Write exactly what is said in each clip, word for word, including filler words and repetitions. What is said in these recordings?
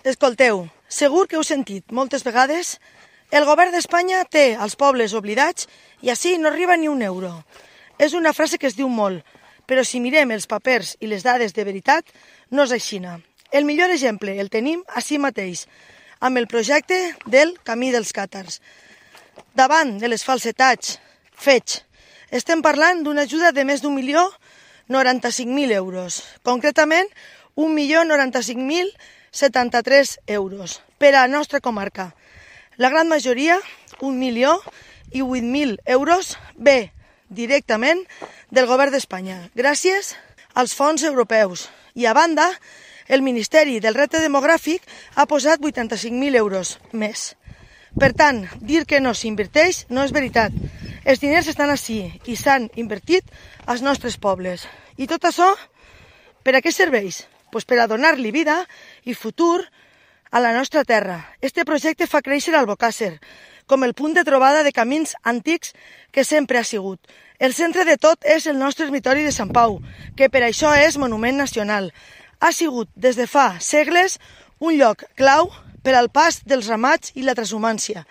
Escolteu, segur que heu sentit moltes vegades el govern d'Espanya té els pobles oblidats i així no arriba ni un euro. És una frase que es diu molt, però si mirem els papers i les dades de veritat, no és aixina. El millor exemple el tenim així mateix, amb el projecte del Camí dels Càtars. Davant de les falsetats fets, estem parlant d'una ajuda de més d'un milió noranta-cinc mil euros, concretament un milió noranta-cinc mil setanta-tres euros per a la nostra comarca. La gran majoria, un milió i vuit mil euros, ve directament del govern d'Espanya, gràcies als fons europeus. I a banda, el Ministeri del Repte Demogràfic ha posat vuitanta-cinc mil euros més. Per tant, dir que no s'inverteix no és veritat. Els diners estan així i s'han invertit als nostres pobles. I tot això, per a què serveix? Pues per a donar-li vida i futur a la nostra terra. Este projecte fa créixer Albocàsser com el punt de trobada de camins antics que sempre ha sigut. El centre de tot és el nostre ermitori de Sant Pau, que per això és monument nacional. Ha sigut des de fa segles un lloc clau per al pas dels ramats i la transhumància.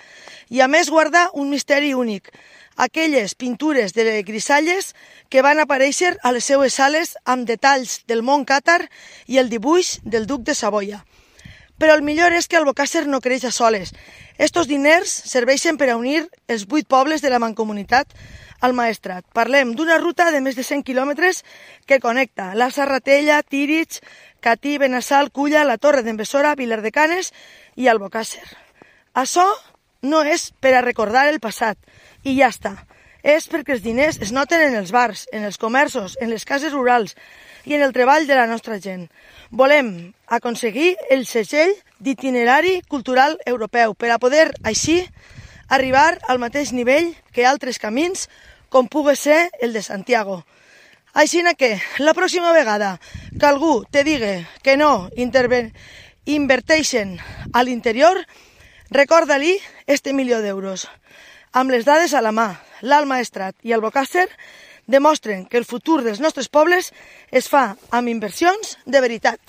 I a més guarda un misteri únic, aquelles pintures de grisalles que van aparèixer a les seues sales amb detalls del món càtar i el dibuix del duc de Savoia. Però el millor és que Albocàsser no creix a soles. Estos diners serveixen per a unir els vuit pobles de la mancomunitat al Maestrat. Parlem d'una ruta de més de cent quilòmetres que connecta la Serratella, Tírig, Catí, Benassal, Culla, la Torre d'en Besora, Vilar de Canes i Albocàsser. Això no és per a recordar el passat, i ja està. És perquè els diners es noten en els bars, en els comerços, en les cases rurals i en el treball de la nostra gent. Volem aconseguir el segell d'itinerari cultural europeu per a poder, així, arribar al mateix nivell que altres camins, com pugui ser el de Santiago. Així que, la pròxima vegada que algú te digui que no inverteixen a l'interior, recorda-li este milió d'euros. Amb les dades a la mà, l'Alt Maestrat i Albocàsser demostren que el futur dels nostres pobles es fa amb inversions de veritat.